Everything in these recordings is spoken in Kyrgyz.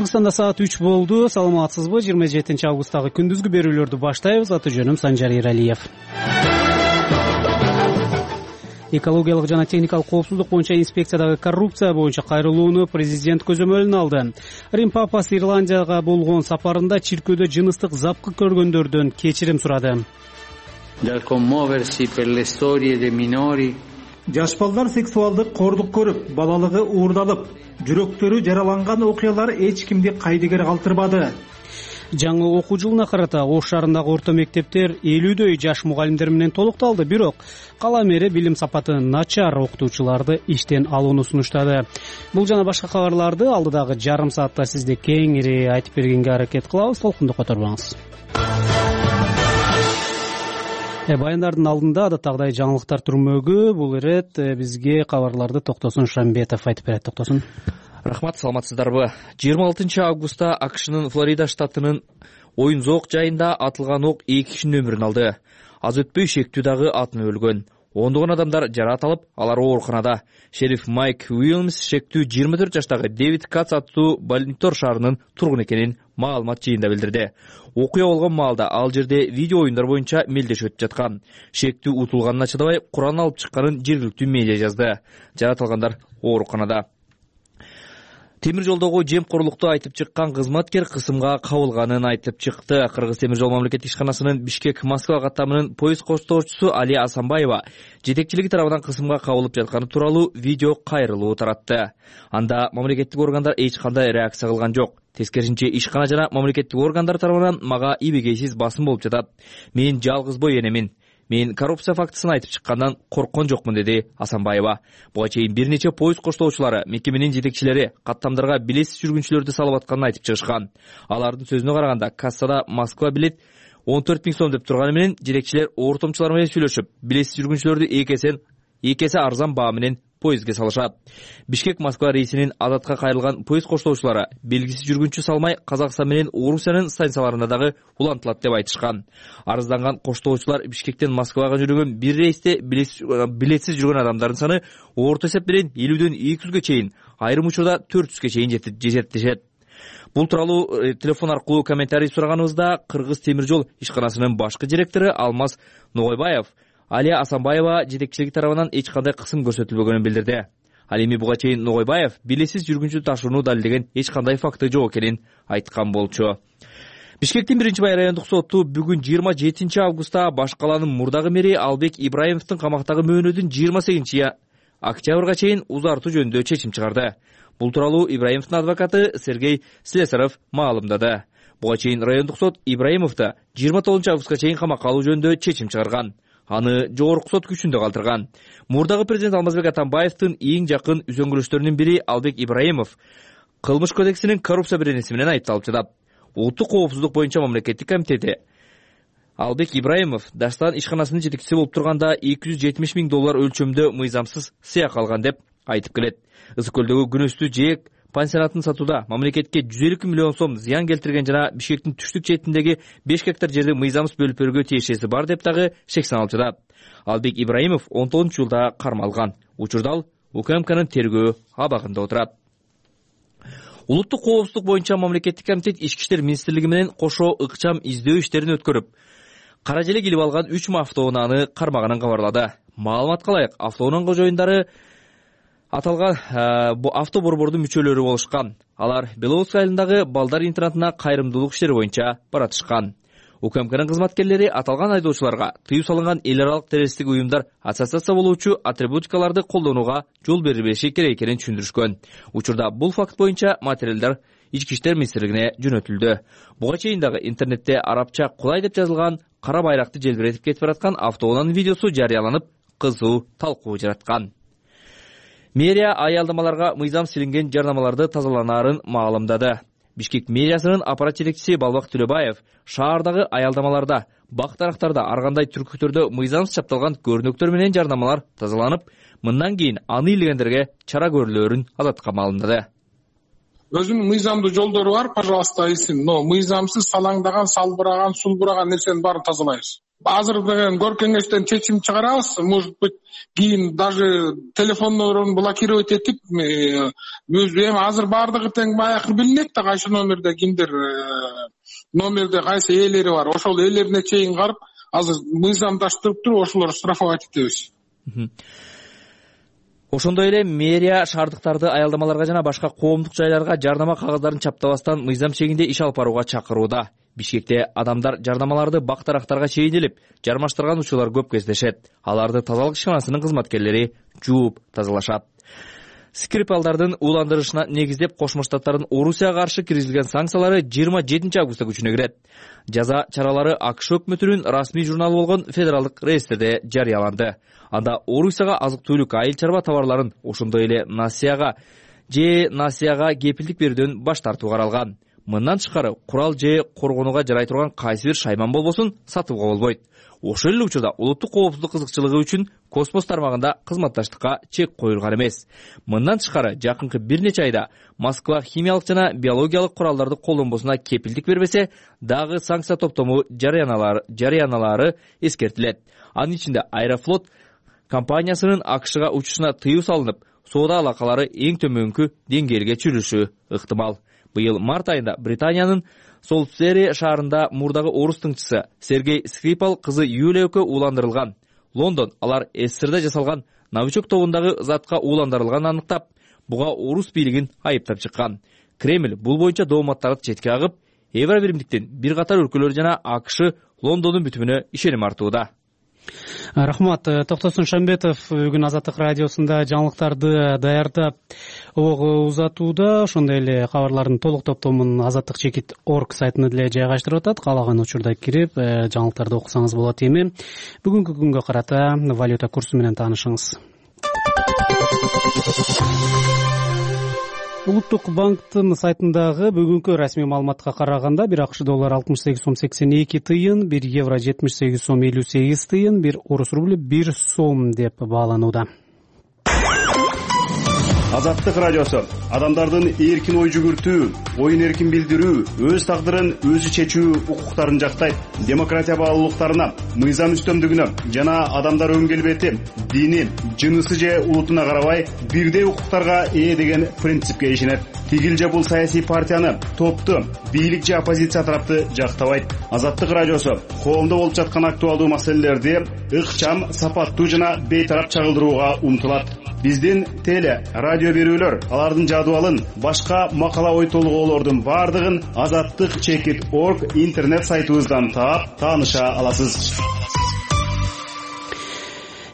Кыргызстанда саат 3 болду. Саламатсызбы? 27 августтагы күндүзгү берүүлөрдү баштайбыз. Аты жөнүм Санжар Эралиев. Экологиялык жана техникалык коопсуздук боюнча инспекциядагы коррупция боюнча кайрылууну президент көзөмөлүнө алды. Рим папасы Ирландияга болгон сапарында чиркөөдө жыныстык запкы көргөндөрдөн кечирим сурады. Жаш балдар сексуалдык кордук көрүп, балалыгы уурдалып, жүрөктөрү жараланган окуялар эч кимди кайдыгер калтырбады. Жаңы окуу жылына карата Ош шаарындагы орто мектептер 50дөй жаш мугалимдер менен толукталды. Бирок кала мэри билим сапаты начар окутуучуларды иштен алууну сунуштады. Бул жана башка кабарларды алдыдагы жарым саатта сизде кеңири айтып бергенге аракет кылабыз. Толкунду которбоңуз. Баяндардын алдында адаттагыдай жаңылыктар түрмөгү. Бул ирет бизге кабарларды Токтосун Шамбетов айтып берет. Токтосун. Рахмат, саламатсыздарбы? 26 августта АКШнын Флорида штатынын Оюн-Зоок жайында атылган ок 2 кишинин өмүрүн алды. Аз өтпөй шектүү дагы атынып өлгөн. Ондогон адамдар жараат алып, алар ооруканада. Шериф Майк Уильямс шектүү 24 жаштагы Дэвид Кац аттуу Баллинтор шаарынын тургуну экенин маалымат жыйында билдирди. Окуя болгон маалда ал жерде видео оюндар боюнча мелдешип өтүп жаткан. Шектүү утулганына чыдабай Куран алып чыкканын жергиликтүү медиа жазды. Жараат алгандар ооруканада. Темир жолдогу жемкорлукту айтып чыккан кызматкер кысымга кабылганын айтып чыкты. Кыргыз темир жол мамлекеттик ишканасынын Бишкек-Москва каттамынын поезд коштоочусу Али Асанбаева жетекчилиги тарабынан кысымга кабылып жатканы тууралуу видео кайрылуу таратты. Анда мамлекеттик органдар эч кандай реакция кылган жок. Тескерисинче ишкана жана мамлекеттик органдар тарабынан мага ийбегейсиз басым болуп жатат. Мен жалгыз бой энемин. Мен коррупция фактысын айтып чыккандан корккон жокмун, деди Асанбаева. Буга чейин бир нече поезд коштоочулары мекеменин жетекчилери каттамдарга билетсиз жүргүнчүлөрдү салып атканын айтып чыгышкан. Алардын сөзүнө караганда, кассада Москва билет 14 000 сом деп турганы менен жетекчилер ортомчулар менен сүйлөшүп, билетсиз жүргүнчүлөрдү эки эсе арзан баа менен поездге салышат. Бишкек-Москва рейсинин адатка кайрылган поезд коштоочулары белгисиз жүргүнчү салмай Казакстан менен Орусиянын станцияларында дагы улантылат деп айтышкан. Арызданган коштоочулар Бишкектен Москвага жүргөн бир рейсте билетсиз жүргөн адамдардын саны орто эсеп менен 50дөн 200ге чейин, айрым учурда 400ге чейин жетет. Бул тууралуу телефон аркылуу комментарий сураганыбызда Кыргыз темир жол ишканасынын башкы директору Алмаз Ногойбаев Алия Асанбаева жетекчилиги тарабынан эч кандай кысым көрсөтүлбөгөнүн билдирди. Ал эми буга чейин Ногойбаев билетсиз жүргүнчү ташууну далилдеген эч кандай факты жок экенин айткан болчу. Бишкектин 1-бай райондук соту бүгүн 27 августта баш каланын мурдагы мэри Албек Ибраимовдун камактагы мөөнөтүн 28 октябрга чейин узартуу жөнүндө чечим чыгарды. Бул тууралуу Ибраимовдун адвокаты Сергей Слесарев маалымдады. Буга чейин райондук сот Ибраимовду 29 августка чейин камакка алуу жөнүндө чечим чыгарган. Аны жогорку сот күчүндө калтырган. Мурдагы президент Алмазбек Атамбаевдин эң жакын үзөңгүлөштөрүнүн бири Албек Ибраимов Кылмыш кодексинин коррупция беренеси менен айыпталып жатат. Улуттук коопсуздук боюнча мамлекеттик комитети Албек Ибраимов Даштан ишканасынын жетекчиси болуп турганда $270 000 өлчөмдө мыйзамсыз сыяк алган деп айтып келет. Ысык көлдөгү күнөстүү жээк пансионатын сатууда мамлекетке 150 миллион сом зыян келтирген жана Бишкектин түштүк четиндеги 5 гектар жерди мыйзамсыз бөлүп берүүгө тиешеси бар деп дагы шек саналып жатат. Албек Ибраимов 19 жылда кармалган. Учурда ал УКМКнын тергөө абагында отурат. Улуттук коопсуздук боюнча мамлекеттик комитет Ички иштер министрлиги менен кошо ыкчам издөө иштерин өткөрүп, кара желек илип алган 3 автоунааны кармаганын кабарлады. Маалыматка ылайык, автоунаа кожоюндары аталган авто борбордун мүчөлөрү болушкан. Алар Беловодск айылындагы балдар интернатына кайрымдуулук иштери боюнча баратышкан. УКМКнын кызматкерлери аталган айдоочуларга тыюу салынган эл аралык террористтик уюмдар ассоциация болуучу атрибутикаларды колдонууга жол бербеши керек экенин түшүндүрүшкөн. Учурда бул факт боюнча материалдар Ички иштер министрлигине жөнөтүлдү. Буга чейин дагы интернетте арабча кулай деп жазылган кара байракты желбиретип кетип бараткан автоунаанын видеосу жарыяланып, кызуу талкуу жараткан. Мэрия аялдамаларга мыйзам силинген жарнамаларды тазаланаарын маалымдады. Бишкек мэриясынын аппарат жетекчиси Балбак Төлөбаев шаардагы аялдамаларда, бак-дарактарда, ар кандай түркүктөрдө мыйзамсыз чапталган көрүнөктөр менен жарнамалар тазаланып, мындан кийин аны илгендерге чара көрүлөөрүн азаттыкка маалымдады. өзүнүн мыйзамдуу жолдору бар, пожалуйста ийсин, но мыйзамсыз салаңдаган, салбыраган, сулбураган нерсенин баарын тазалайбыз. Азыр деген кор кеңештен чечим чыгарабыз, может быть, кийин даже телефондорун блокировать этип, эми азыр баардыгы тең баягы билинет да, кайсы номерде кимдер, номерде кайсы ээлери бар, ошол ээлерине чейин карап, азыр мыйзамдаштырып туруп ошолорду штрафовать этебиз. Ошондой эле мэрия шаардыктарды аялдамаларга жана башка коомдук жайларга жардама кагаздарын чаптабастан мыйзам чегинде иш алып барууга чакырууда. Бишкекте адамдар жардамаларды бак-дарактарга чейинилип, жармаштырган учурлар көп кездешет. Аларды тазалык ишканасынын кызматкерлери жууп тазалашат. Скрипалдардын ууландырышына негиздеп Кошмо Штаттардын Орусияга каршы киргизилген санкциялары 27 августта күчүнө кирет. Жаза чаралары АКШ өкмөтүнүн расмий журналы болгон Федералдык реестрде жарыяланды. Анда Орусияга азык-түлүк, айыл чарба товарларын, ошондой эле насыяга кепилдик берүүдөн баш тартуу каралган. Мындан тышкары курал же коргонууга жарай турган кайсы бир шайман болбосун сатууга болбойт. Ошол эле учурда улуттук коопсуздук кызыкчылыгы үчүн космос тармагында кызматташтыкка чек коюлган эмес. Мындан тышкары жакынкы бир нече айда Москва химиялык жана биологиялык куралдарды колдонбосуна кепилдик бербесе, дагы санкция топтому жарыяналары эскертилет. Анын ичинде Аэрофлот компаниясынын АКШга учушуна тыюу салынып, соода алакалары эң төмөнкү деңгээлге чүрүшү ыктымал. Быйыл март айында Британиянын Солсбери шаарында мурдагы орус тыңчысы Сергей Скрипал кызы Юлия экөө ууландырылган. Лондон алар СССРде жасалган новичок тобундагы затка ууландырылганын аныктап, буга орус бийлигин айыптап чыккан. Кремль бул боюнча дооматтарды четке агып, Евробиримдиктин бир катар өлкөлөр жана АКШ Лондондун бүтүмүнө ишеним артууда. Рахмат. Токтосун Шамбетов бүгүн Азаттык радиосунда жаңылыктарды даярдап узатууда. Ошондой эле кабарлардын толук топтомун azattikchekit.org сайтына деле жайгаштырып атат. Каалаган учурда кирип жаңылыктарды окусаңыз болот. Эми бүгүнкү күнгө карата валюта курсу менен таанышыңыз. Улуттук банктын сайтындагы бүгүнкү расмий маалыматка караганда, бир АКШ доллары 68 сом 82 тыйын, бир евро 78 сом 58 тыйын, бир орус рубль 1 сом деп бааланууда. Азаттык радиосу адамдардын эркин ой жүгүртүү, оюн эркин билдирүү, өз тагдырын өзү чечүү укуктарын жактайт. Демократия баалуулуктарына, мыйзам үстөмдүгүнө жана адамдар өн келбети, дини, жынысы же улутуна карабай бирдей укуктарга ээ деген принципке ишенет. Тигил же бул саясий партияны, топту, бийлик же оппозиция тарапты жактабайт. Азаттык радиосу коомдо болуп жаткан актуалдуу маселелерди ыкчам, сапаттуу жана бейтарап чагылдырууга умтулат. Биздин теле, радио берүүлөр, алардын жадыбалын, башка макала ой толгоолордун бардыгын azattikchekit.org интернет сайтыбыздан таап, тааныша аласыз.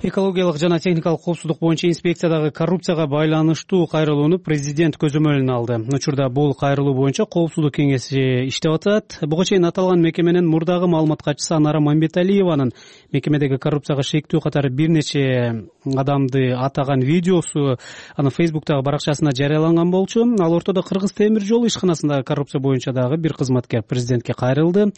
Экологиялык жана техникалык коопсуздук боюнча инспекциядагы коррупцияга байланыштуу кайрылууну президент көзөмөлүнө алды. Учурда бул кайрылуу боюнча коопсуздук кеңеси иштеп атат. Буга чейин аталган мекеменин мурдагы маалымат катчысы Анара Мамбеталиеванын мекемедеги коррупцияга шектүү катары бир нече адамды атаган видеосу анын Facebook'тагы баракчасына жарыяланган болчу. Ал ортодо Кыргыз темир жол ишканасындагы коррупция боюнча дагы бир кызматкер президентке кайрылды.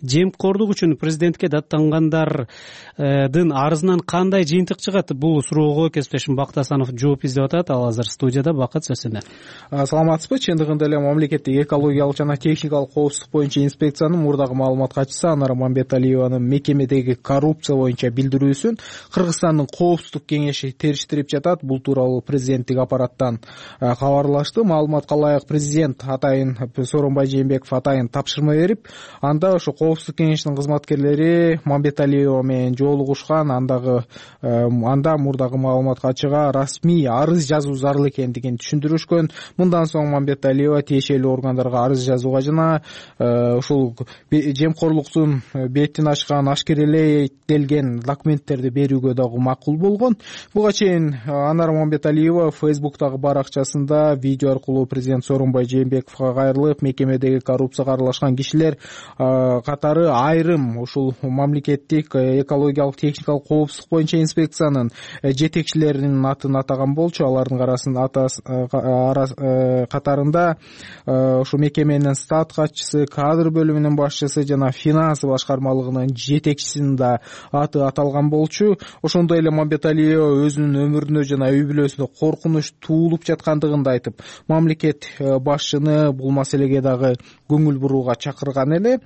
Жемкордук үчүн президентке даттангандардын арызынан кандай жыйынтык чыгат? Бул суроого кесиптешим Бакыт Асанов жооп издеп атат. Ал азыр студияда. Бакыт, сөз сенде. Саламатсызбы? Чындыгында эле мамлекеттик экологиялык жана техникалык коопсуздук боюнча инспекциянын мурдагы маалымат катчысы Анара Мамбеталиеванын мекемедеги коррупция боюнча билдирүүсүн Кыргызстандын коопсуздук кеңеши териштирип жатат. Бул тууралуу президенттик аппараттан кабарлашты. Маалыматка ылайык президент атайын Сооронбай Жээнбеков атайын тапшырма берип, анда ошо коопсуздук кеңешинин кызматкерлери Мамбеталиева менен жолугушкан. Анда мурдагы маалымат катчыга расмий арыз жазуу зарыл экендигин түшүндүрүшкөн. Мындан соң Мамбеталиева тиешелүү органдарга арыз жазууга жана ушул жемкорлуктун бетин ачкан, ашкерелетилген документтерди берүүгө дагы макул болгон. Буга чейин Анара Мамбеталиева Facebook'тагы баракчасында видео аркылуу президент Сооронбай Жээнбековго кайрылып, мекемедеги коррупцияга аралашкан кишилер катары айрым ушул мамлекеттик экологиялык техникалык коопсуздук боюнча инспекциянын жетекчилеринин атын атаган болчу. Алардын катарында ушу мекеменин стат катчысы, кадр бөлүмүнүн башчысы жана финансы башкармалыгынын жетекчисинин да аты аталган болчу. Ошондой эле Мамбеталиева өзүнүн өмүрүнө жана үй бүлөсүнө коркунуч туулуп жаткандыгын да айтып, мамлекет башчыны бул маселеге дагы көңүл бурууга чакырган эле.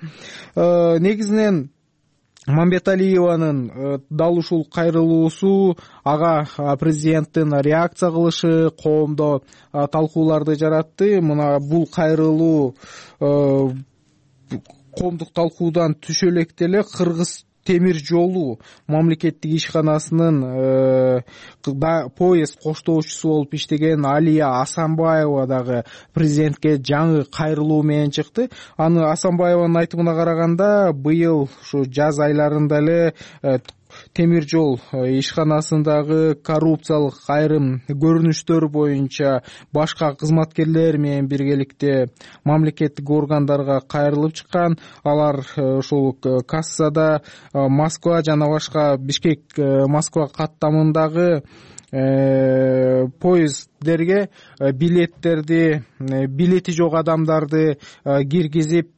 Негизинен Мамбеталиеванын дал ушул кайрылуусу ага президенттин реакция кылышы коомдо талкууларды жаратты. Мына бул кайрылуу коомдук талкуудан түшө электе эле Кыргыз темир жолу мамлекеттик ишканасынын поезд коштоочусу болуп иштеген Алия Асанбаева дагы президентке жаңы кайрылуу менен чыкты. Аны Асанбаеванын айтымына караганда, быйыл ушу жаз айларында эле темир жол ишканасындагы коррупциялык айрым көрүнүштөр боюнча башка кызматкерлер менен биргеликте мамлекеттик органдарга кайрылып чыккан. Алар ушул кассада Москва жана башка Бишкек Москва каттамындагы поезддерге билети жок адамдарды киргизип,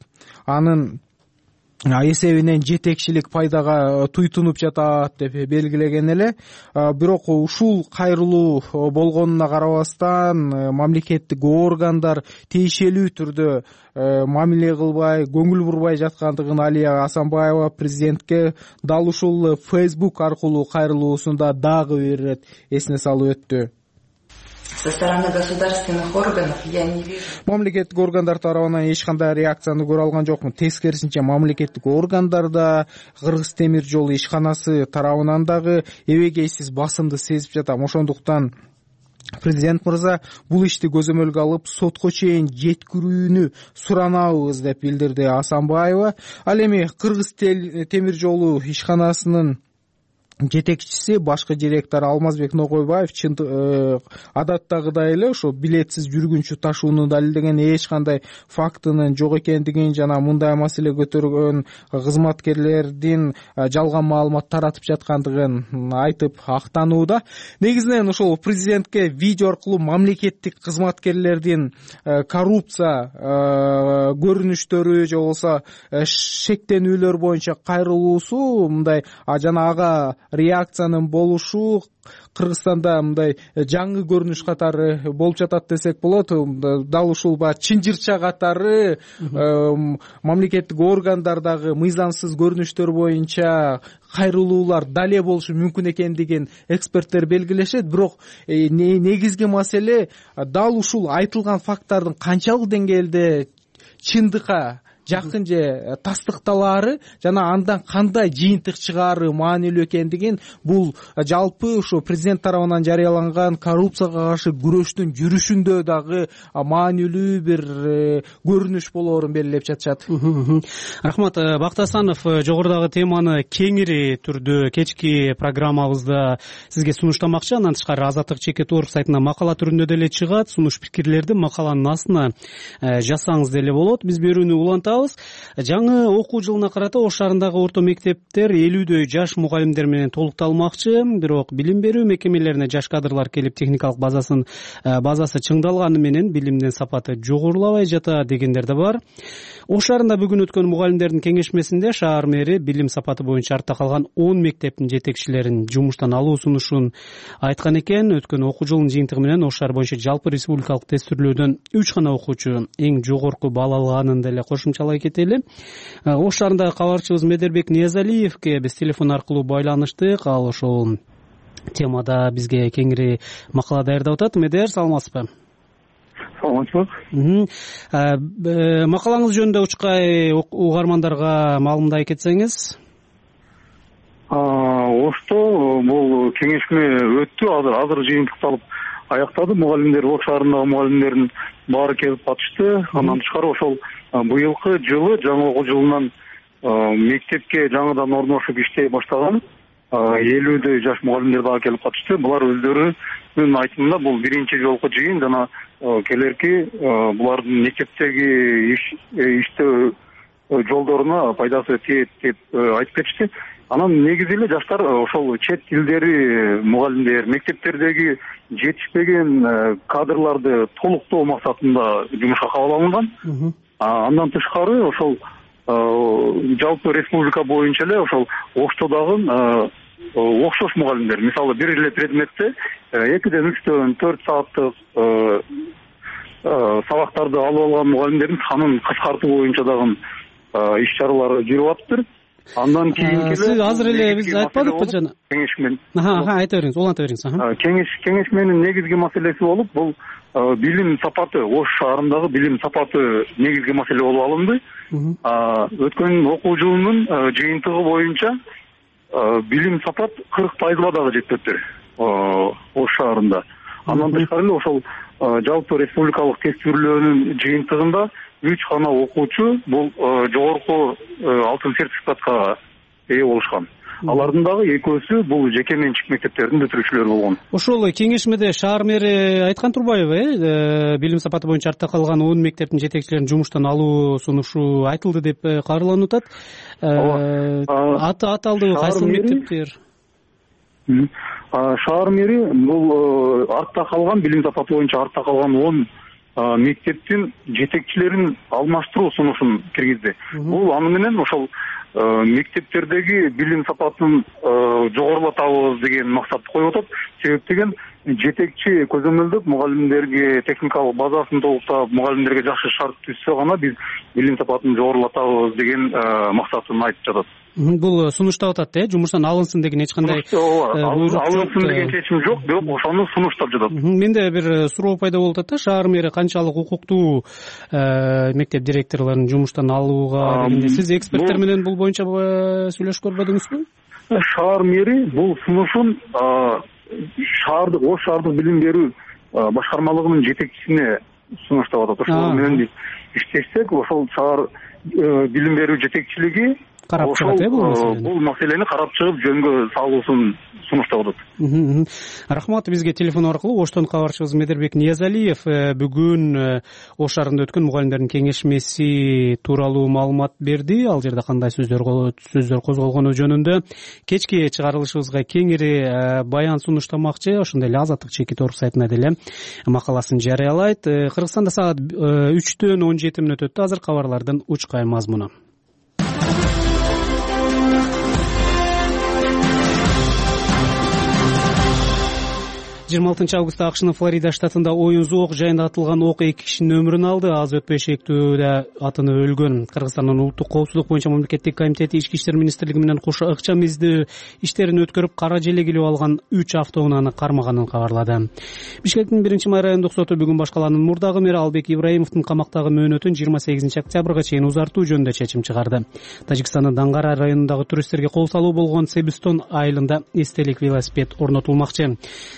анын эсебинен жетекчилик пайдага туйтунуп жатат деп белгилеген эле. Бирок ушул кайрылуу болгонуна карабастан мамлекеттик органдар тиешелүү түрдө мамиле кылбай, көңүл бурбай жаткандыгын Алия Асанбаева президентке дал ушул Facebook аркылуу кайрылуусунда дагы бир ирет эсине салып өттү. Со стороны государственных органов я не вижу. Мамлекеттик органдар тарабынан эч кандай реакцияны көрө алган жокмун. Тескерисинче мамлекеттик органдарда Кыргыз темир жолу ишканасы тарабынан дагы эбегейсиз басымды сезип жатам. Ошондуктан президент мырза бул ишти көзөмөлгө алып сотко чейин жеткирүүнү суранабыз деп билдирди Асанбаева. Ал эми Кыргыз темир жолу ишканасынын жетекчиси башкы директор Алмазбек Ногойбаев адаттагыдай эле ошо билетсиз жүргүнчү ташууну далилдеген эч кандай фактынын жок экендигин жана мындай маселе көтөргөн кызматкерлердин жалган маалымат таратып жаткандыгын айтып актанууда. Негизинен ошол президентке видео аркылуу мамлекеттик кызматкерлердин коррупция көрүнүштөрү же болбосо шектенүүлөр боюнча кайрылуусу мындай жана ага реакциянын болушу Кыргызстанда мындай жаңы көрүнүш катары болуп жатат десек болот. Дал ушул чынжырча катары мамлекеттик органдардагы мыйзамсыз көрүнүштөр боюнча кайрылуулар дале болушу мүмкүн экендигин эксперттер белгилешет. Бирок негизги маселе дал ушул айтылган факттардын канчалык деңгээлде чындыкка жакын же тастыкталаары жана андан кандай жыйынтык чыгаары маанилүү экендигин бул жалпы ушу президент тарабынан жарыяланган коррупцияга каршы күрөштүн жүрүшүндө дагы маанилүү бир көрүнүш болоорун белгилеп жатышат. Рахмат. Бакыт Асанов жогорудагы теманы кеңири түрдө кечки программабызда сизге сунуштамакчы. Андан тышкары Азаттык чекит орг сайтына макала түрүндө деле чыгат. Сунуш пикирлерди макаланын астына жазсаңыз деле болот. Биз берүүнү улантабыз. Жаңы окуу жылына карата Ош шаарындагы орто мектептер 50дөй жаш мугалимдер менен толукталмакчы. Бирок билим берүү мекемелерине жаш кадрлар келип техникалык базасы чыңдалганы менен билимдин сапаты жогорулабай жатат дегендер да бар. Ош шаарында бүгүн өткөн мугалимдердин кеңешмесинде шаар мэри билим сапаты боюнча артта калган 10 мектептин жетекчилерин жумуштан алуу сунушун айткан экен. Өткөн окуу жылынын жыйынтыгы менен Ош шаар боюнча жалпы республикалык тестирлөөдөн 3 гана окуучу эң жогорку балл алганын деле кошумчалай кетели. Ош шаарындагы кабарчыбыз Медербек Ниязалиевке биз телефон аркылуу байланыштык. Ал ошол темада бизге кеңири макала даярдап атат. Медер, саламатсызбы? Саламатсызбы. Макалаңыз жөнүндө учкай угармандарга маалымдай кетсеңиз. Ошто бул кеңешме өттү, азыр жыйынтыкталып аяктады. Мугалимдер, Ош шаарындагы мугалимдердин баары келип катышты. Андан тышкары ошол быйылкы жылы жаңы окуу жылынан мектепке жаңыдан орношуп иштей баштаган 50дөй жаш мугалимдер дагы келип катышты. Булар өздөрүнүн айтымында бул биринчи жолку жыйын жана келерки булардын мектептеги иштөө жолдоруна пайдасы тиет деп айтып кетишти. Анан негизи эле жаштар ошол чет тилдери мугалимдер, мектептердеги жетишпеген кадрларды толуктоо максатында жумушка кабыл алынган. Андан тышкары ошол жалпы республика боюнча эле ошол Ошто дагы окшош мугалимдер, мисалы бир эле предметте 2-ден 3-төн 4 сааттык сабактарды алып алган мугалимдердин санын кыскартуу боюнча дагы иш чаралар жүрүп атыптыр. Андан кийинки сиз азыр эле биз айтпадыкпы жана кеңешмен. Айта бериңиз, уланта бериңиз. Кеңешменин негизги маселеси болуп, бул билим сапаты, Ош шаарындагы билим сапаты негизги маселе болуп алынды. Өткөн окуу жылынын жыйынтыгы боюнча билим сапат 40%га дагы жетпептир Ош шаарында. Андан тышкары эле ошол жалпы республикалык тестирлөөнүн жыйынтыгында 3 гана окуучу бул жогорку алтын сертификатка ээ болушкан. Алардын дагы экөөсү бул жеке менчик мектептердин бүтүрүүчүлөрү болгон. Ошол кеңешмеде шаар мэри айткан турбайбы, билим сапаты боюнча артта калган 10 мектептин жетекчилерин жумуштан алуу сунушу айтылды деп кабарланып атат. Аталдыбы кайсы мектептер? Шаар мэри бул артта калган билим сапаты боюнча артта калган 10 мектептин жетекчилерин алмаштыруу сунушун киргизди. Бул аны менен ошол мектептердеги билим сапатын жогорулатабыз деген максатты коюп атат. Себеп деген жетекчи көзөмөлдөп мугалимдерге техникалык базасын толуктап, мугалимдерге жакшы шарт түзсө гана биз билим сапатын жогорулатабыз деген максатын айтып жатат. Бул сунуштап атат, жумуштан алынсын деген эч кандай алынсын деген чечим жок, бирок ошону сунуштап жатат. Менде бир суроо пайда болуп атат да, шаар мэри канчалык укуктуу мектеп директорлорун жумуштан алууга дегенде сиз эксперттер менен бул боюнча сүйлөшүп көрбөдүңүзбү? Шаар мэри бул сунушун Ош шаардык билим берүү башкармалыгынын жетекчисине сунуштап атат. Ошол менен биз иштешсек, ошол шаар билим берүү жетекчилиги карап чыгат бул маселени карап чыгып жөнгө салуусун сунуштап атат. Рахмат. Бизге телефон аркылуу Оштон кабарчыбыз Медербек Ниязалиев бүгүн Ош шаарында өткөн мугалимдердин кеңешмеси тууралуу маалымат берди. Ал жерде кандай сөздөр козголгону жөнүндө кечки чыгарылышыбызга кеңири баян сунуштамакчы. Ошондой эле Азаттык чекит орг сайтына деле макаласын жарыялайт. Кыргызстанда саат 3-төн 17 мүнөт өттү. Азыр кабарлардын учкай мазмуну. 26 августта АКШнын Флорида штатында Оюнзу ок жайында атылган ок 2 кишинин өмүрүн алды. Аз өтпөй шектүүдө атынып өлгөн. Кыргызстандын улуттук коопсуздук боюнча мамлекеттик комитети Ички иштер министрлиги менен кошо ыкчам издөө иштерин өткөрүп, кара желегилип алган 3 автоунааны кармаганын кабарлады. Бишкектин 1-май райондук соту бүгүн башкаланын мурдагы мэри Албек Ибраимовдун камактагы мөөнөтүн 28 октябрга чейин узартуу жөнүндө чечим чыгарды. Тажикстандын Даңгара районундагы туристтерге кол салуу болгон Себистон айылында эстелик велосипед орнотулмакчы.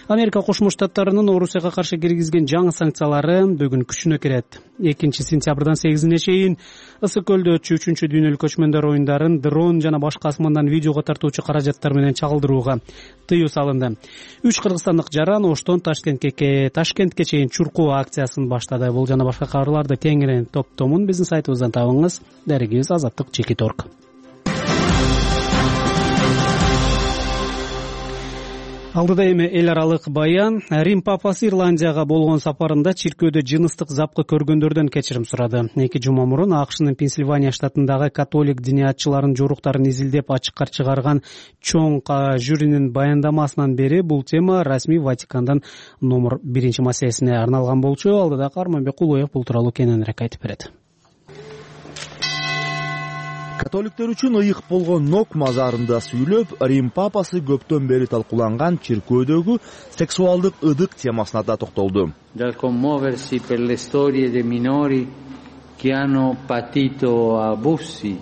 Америка Кошмо Штаттарынын Орусияга каршы киргизген жаңы санкциялары бүгүн күчүнө кирет. 2-сентябрдан 8-ине чейин Ысык көлдө өтчү 3-дүйнөлүк көчмөндөр оюндарын дрон жана башка асмандан видеого тартуучу каражаттар менен чагылдырууга тыюу салынды. 3 кыргызстандык жаран Оштон Ташкентке чейин чуркоо акциясын баштады. Бул жана башка кабарларды кеңири топтомун биздин сайтыбыздан табыңыз. Дарегибиз Азаттык чекит орг. Алдыда эми эл аралык баян. Рим папасы Ирландияга болгон сапарында чиркөөдө жыныстык запкы көргөндөрдөн кечирим сурады. 2 жума мурун АКШнын Пенсильвания штатындагы католик диниятчыларын жоруктарын изилдеп ачыкка чыгарган чоң жюринин баяндамасынан бери бул тема расмий Ватикандын номер 1 маселесине арналган болчу. Алдыда Карманбек Кулоев бул тууралуу кененирээк айтып берет. Католиктер үчүн ыйык болгон Нок мазарында сүйлөп, Рим папасы көптөн бери талкууланган чиркөөдөгү сексуалдык ыдык темасына да токтолду. Dal commuoversi per le storie dei minori che hanno patito abusi.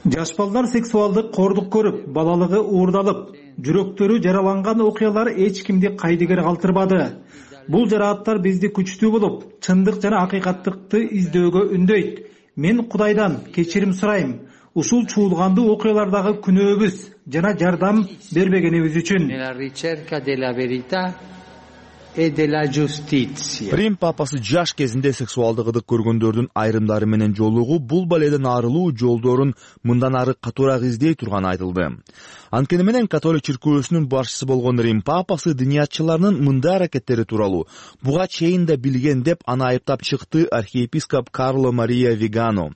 Жаш балдар сексуалдык кордук көрүп, балалыгы уурдалып, жүрөктөрү жараланган окуялар эч кимди кайдыгер калтырбады. Бул жарааттар бизди күчтүү болуп, чындык жана акыйкаттыкты издөөгө үндөйт. Мен Кудайдан кечирим сурайм. Ушул чуулгандуу окуялардагы күнөөбүз жана жардам бербегенибиз үчүн. Nella ricerca della verità e della giustizia. Рим папасы жаш кезинде сексуалдык ыдык көргөндөрдүн айрымдары менен жолугуп, бул баледен арылуу жолдорун мындан ары катуураак издей турганы айтылды. Анткени менен католик чиркөөсүнүн башчысы болгон Рим папасы дыниятчыларынын мындай аракеттери тууралуу буга чейин да билген деп аны айыптап чыкты архиепископ Карло Мария Вигано.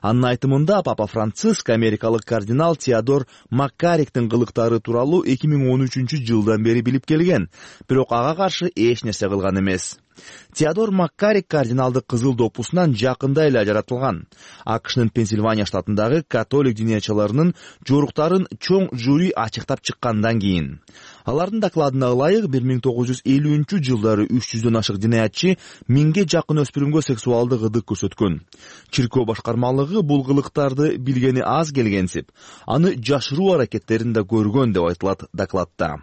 Анын айтымында папа Франциск америкалык кардинал Теодор Маккариктин кылыктары тууралуу 2013-жылдан бери билип келген, бирок ага каршы эч нерсе кылган эмес. Теодор Маккарик кардиналдык кызыл допусунан жакында эле ажыратылган. АКШнын Пенсильвания штатындагы католик дыниячыларынын жоруктарын чоң жюри ачыктап чыккандан кийин. Алардын докладына ылайык 1950-жылдары 300дөн ашык динаятчы 1000ге жакын өспүрүмгө сексуалдык ыдык көрсөткөн. Чиркөө башкармалыгы бул кылыктарды билгени аз келгенсип, аны жашыруу аракеттерин да көргөн деп айтылат докладта.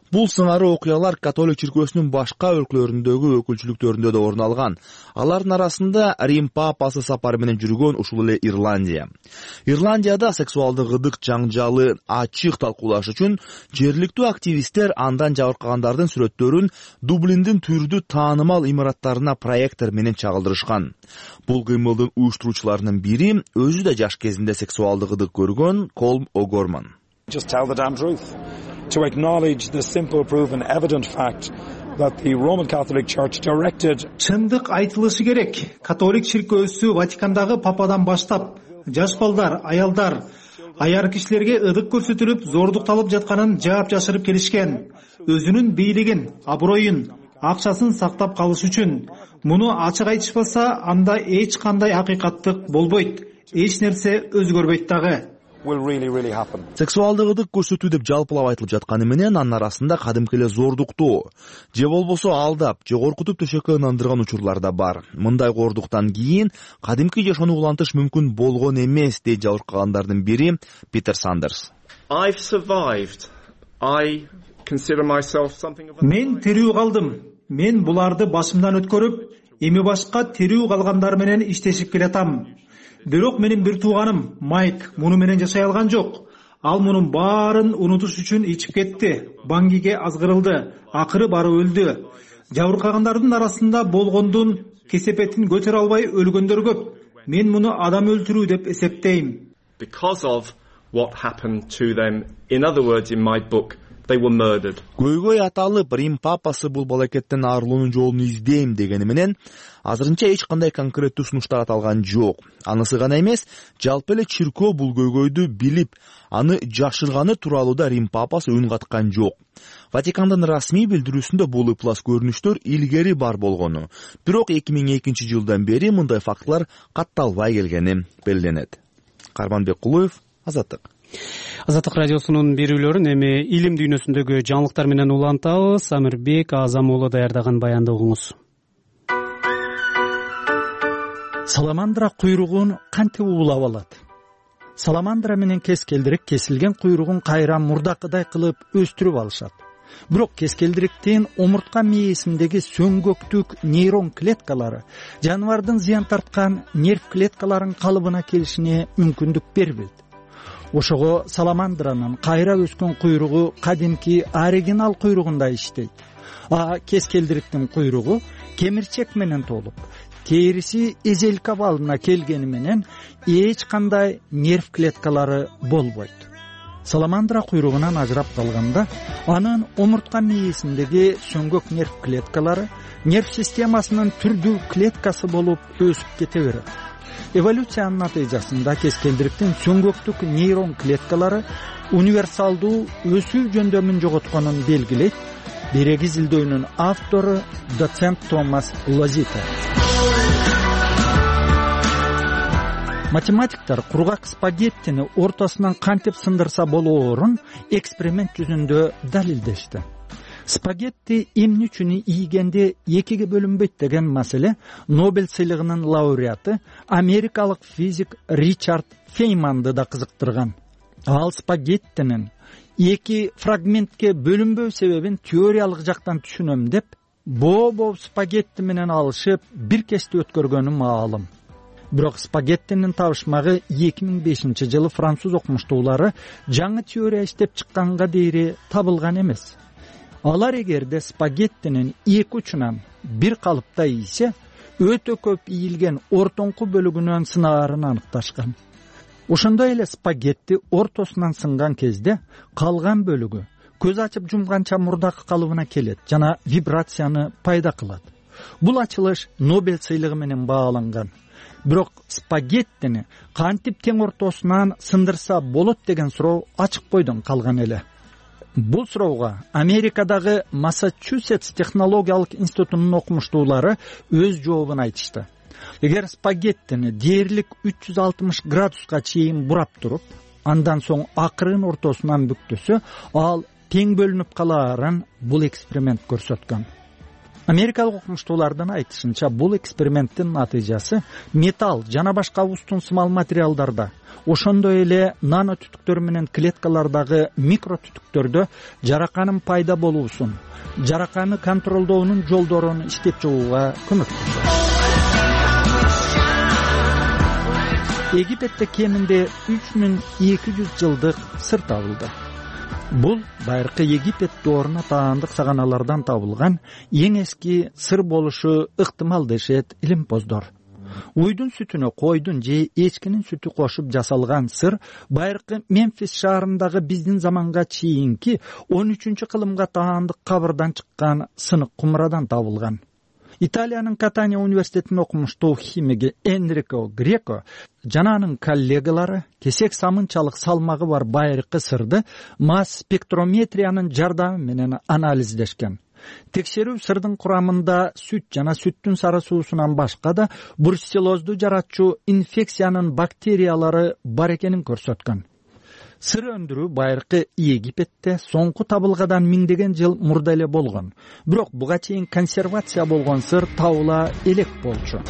Бул сыңары окуялар католик чиркөөсүнүн башка өлкөлөрүндөгү өкүлчүлүктөрүндө да орун алган. Алардын арасында Рим папасы сапары менен жүргөн ушул эле Ирландия. Ирландияда сексуалдык ыдык жаңжалы ачык талкуулаш үчүн жергиликтүү активисттер андан жабыркагандардын сүрөттөрүн Дублиндин түрдүү таанымал имараттарына проектор менен чагылдырышкан. Бул кыймылдын уюштуруучуларынын бири өзү да жаш кезинде сексуалдык ыдык көргөн Колм О'Горман. Just tell the damn truth. To acknowledge the simple, proven, evident fact that the Roman Catholic Church directed. Чындык айтылышы керек. Католик чиркөөсү Ватикандагы пападан баштап жаш балдар, аялдар, аяр кишилерге ыдык көрсөтүлүп, зордукталып жатканын жаап жашырып келишкен. Өзүнүн бийлигин, аброюн, акчасын сактап калыш үчүн. Муну ачык айтышпаса, анда эч кандай акыйкаттык болбойт. Эч нерсе өзгөрбөйт дагы. Сексуалдык ыдык көрсөтүү деп жалпылап айтылып жатканы менен анын арасында кадимки эле зордуктоо же болбосо алдап же коркутуп төшөккө ынандырган учурлар да бар. Мындай кордуктан кийин кадимки жашоону улантыш мүмкүн болгон эмес дейт жабыркагандардын бири Питер Сандерс. Мен тирүү калдым. Мен буларды башымдан өткөрүп, эми башка тирүү калгандар менен иштешип келатам. Бирок менин бир тууганым Майк муну менен жашай алган жок. Ал мунун баарын унутуш үчүн ичип кетти. Баңгиге азгырылды. Акыры барып өлдү. Жабыркагандардын арасында болгондун кесепетин көтөрө албай өлгөндөр көп. Мен муну адам өлтүрүү деп эсептейм. Because of what happened to them. In other words, in my book, they were murdered. Көйгөй аталып, Рим папасы бул балакеттен арылуунун жолун издейм дегени менен азырынча эч кандай конкреттүү сунуштар аталган жок. Анысы гана эмес, жалпы эле чиркөө бул көйгөйдү билип, аны жашырганы тууралуу да Рим папасы үн каткан жок. Ватикандын расмий билдирүүсүндө бул ыплас көрүнүштөр илгери бар болгону, бирок 2002-жылдан бери мындай фактылар катталбай келгени белгиленет. Карманбек Кулуев, Азаттык. Азаттык радиосунун берүүлөрүн эми илим дүйнөсүндөгү жаңылыктар менен улантабыз. Амирбек Азам уулу даярдаган баянды угуңуз. Саламандра куйругун кантип уулап алат? Саламандра менен кескелдирик кесилген куйругун кайра мурдакыдай кылып өстүрүп алышат. Бирок кескелдириктин омуртка мээсиндеги сөңгөктүк нейрон клеткалары жаныбардын зыян тарткан нерв клеткаларынын калыбына келишине мүмкүндүк бербейт. Ошого саламандранын кайра өскөн куйругу кадимки оригинал куйругундай иштейт. Кескелдириктин куйругу кемирчек менен толуп, териси эзелка балына келгени менен эч кандай нерв клеткалары болбойт. Саламандра куйругунан ажырап калганда, анын омуртка мээсиндеги сөңгөк нерв клеткалары нерв системасынын түрдүү клеткасы болуп өсүп кете берет. Эволюциянын натыйжасында кескелдириктин сөңгөктүк нейрон клеткалары универсалдуу өсүү жөндөмүн жоготконун белгилейт. Береги изилдөөнүн автору доцент Томас Лозита. Математиктер кургак спагеттини ортосунан кантип сындырса болоорун эксперимент жүзүндө далилдешти. Спагетти эмне үчүн ийгенде экиге бөлүнбөйт деген маселе Нобель сыйлыгынын лауреаты америкалык физик Ричард Фейманды да кызыктырган. Ал спагеттинин эки фрагментке бөлүнбөө себебин теориялык жактан түшүнөм деп, боо спагетти менен алышып бир кечти өткөргөнү маалым. Бирок спагеттинин табышмагы 2005-жылы француз окумуштуулары жаңы теория иштеп чыкканга дейри табылган эмес. Алар эгерде спагеттинин эки учунан бир калыпта ийсе, өтө көп ийилген ортоңку бөлүгүнөн сынаарын аныкташкан. Ошондой эле спагетти ортосунан сынган кезде калган бөлүгү көз ачып жумганча мурдакы калыбына келет жана вибрацияны пайда кылат. Бул ачылыш Нобель сыйлыгы менен бааланган. Бирок спагеттини кантип тең ортосунан сындырса болот деген суроо ачык бойдон калган эле. Бул суроого Америкадагы Массачусетс технологиялык институтунун окумуштуулары өз жообун айтышты. Эгер спагеттини дээрлик 360 градуска чейин бурап туруп, андан соң акырын ортосунан бүктөсө, ал тең бөлүнүп калаарын бул эксперимент көрсөткөн. Америкалык окумуштуулардын айтышынча, бул эксперименттин натыйжасы металл жана башка устун-сымал материалдарда, ошондой эле нано түтүктөр менен клеткалардагы микро түтүктөрдө жараканын пайда болуусун, жараканы контролдоонун жолдорун иштеп чыгууга көмөктөшөт. Египетте кеминде 3200 жылдык сыр табылды. Бул байыркы Египет дооруна таандык саганалардан табылган эң эски сыр болушу ыктымал дешет илимпоздор. Уйдун сүтүнө койдун же эчкинин сүтү кошуп жасалган сыр байыркы Мемфис шаарындагы биздин заманга чейинки 13-кылымга таандык кабырдан чыккан сынык кумрадан табылган. Италиянын Катания университетинин окумуштуу химиги Энрико Греко жана анын коллегалары кесек самынчалык салмагы бар байыркы сырды масс спектрометриянын жардамы менен анализдешкен. Текшерүү сырдын курамында сүт жана сүттүн сары суусунан башка да бруцеллозду жаратчу инфекциянын бактериялары бар экенин көрсөткөн. Сыр өндүрүү байыркы Египетте соңку табылгадан миңдеген жыл мурда эле болгон. Бирок буга чейин консервация болгон сыр табыла элек болчу.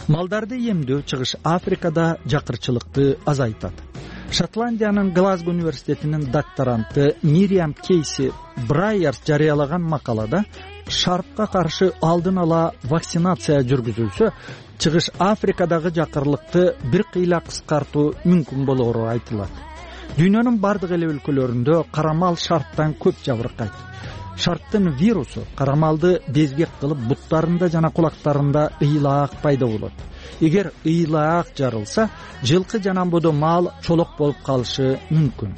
Малдарды эмдөө Чыгыш Африкада жакырчылыкты азайтат. Шотландиянын Глазго университетинин докторанты Мириам Кейси Брайерс жарыялаган макалада шарпка каршы алдын ала вакцинация жүргүзүлсө, Чыгыш Африкадагы жакырлыкты бир кыйла кыскартуу мүмкүн болоору айтылат. Дүйнөнүн бардык эле өлкөлөрүндө карамал шарптан көп жабыркайт. Шарптын вирусу карамалды безгек кылып буттарында жана кулактарында ыйлаак пайда болот. Эгер ыйлаак жарылса, жылкы жана бодо мал чолок болуп калышы мүмкүн.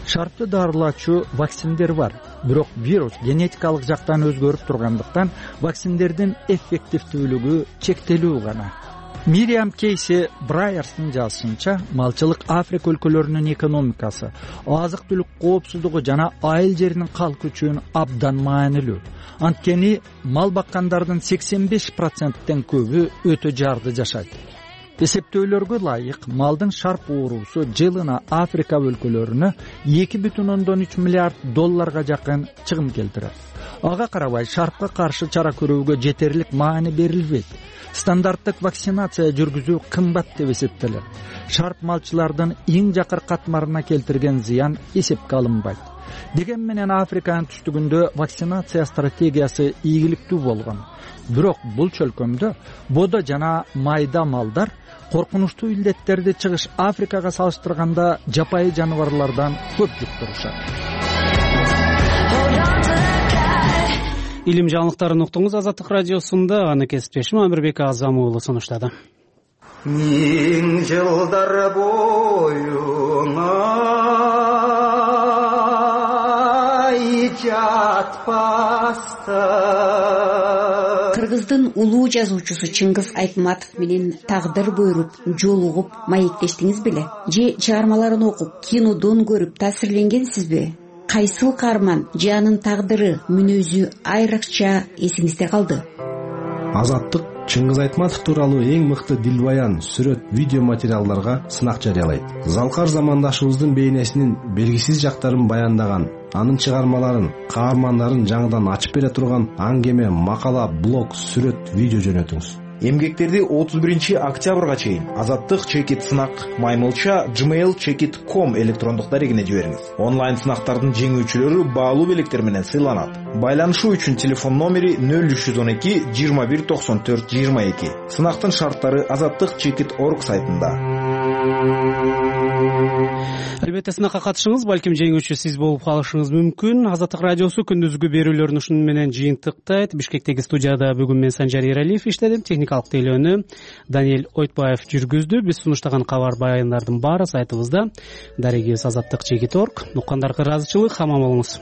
Шарпты дарылачу вакциндер бар, бирок вирус генетикалык жактан өзгөрүп тургандыктан вакциндердин эффективдүүлүгү чектелүү гана. Мириам Кейси Брайерстын жазышынча, малчылык Африка өлкөлөрүнүн экономикасы, азык-түлүк коопсуздугу жана айыл жеринин калк үчүн абдан маанилүү. Анткени мал баккандардын 85%тен көбү өтө жарды жашайт. Эсептөөлөргө ылайык, малдын шарп ооруусу жылына Африка өлкөлөрүнө $2,3 миллиард жакын чыгым келтирет. Ага карабай шарпка каршы чара көрүүгө жетерлик маани берилбейт. Стандарттык вакцинация жүргүзүү кымбат деп эсептелет. Шарп малчылардын эң жакыр катмарына келтирген зыян эсепке алынбайт. Деген менен Африканын түштүгүндө вакцинация стратегиясы ийгиликтүү болгон. Бирок бул чөлкөмдө бодо жана майда малдар коркунучтуу илдеттерди Чыгыш Африкага салыштырганда жапайы жаныбарлардан көп жуктурушат. Илим жаңылыктарын уктуңуз Азаттык радиосунда. Аны кесиптешим Амирбек Азам уулу сунуштады. Миң жылдар боюна жатпаста. Кыргыздын улуу жазуучусу Чыңгыз Айтматов менен тагдыр буйруп, жолугуп, маектештиңиз беле? Же чыгармаларын окуп, кинодон көрүп таасирленгенсизби? Кайсыл каарман же анын тагдыры, мүнөзү айрыкча эсиңизде калды? Азаттык Чыңгыз Айтматов тууралуу эң мыкты дилбаян, сүрөт, видео материалдарга сынак жарыялайт. Залкар замандашыбыздын бейнесинин белгисиз жактарын баяндаган, анын чыгармаларын, каармандарын жаңыдан ачып бере турган аңгеме, макала, блог, сүрөт, видео жөнөтүңүз. Эмгектерди 31-октябрга чейин Азаттык чекит сынак @gmail.com электрондук дарегине жибериңиз. Онлайн сынактардын жеңүүчүлөрү баалуу белектер менен сыйланат. Байланышуу үчүн телефон номери 0312 21 94 22. Сынактын шарттары azattikchekit.org сайтында. албетте сынакка катышыңыз, балким жеңүүчү сиз болуп калышыңыз мүмкүн. Азаттык радиосу күндүзгү берүүлөрүн ушуну менен жыйынтыктайт. Бишкектеги студияда бүгүн мен Санжар Эралиев иштедим. Техникалык тейлөөнү Даниэль Ойтбаев жүргүздү. Биз сунуштаган кабар баяндардын баары сайтыбызда. Дарегибиз azаттык.org. Уккандарга ыраазычылык, аман болуңуз.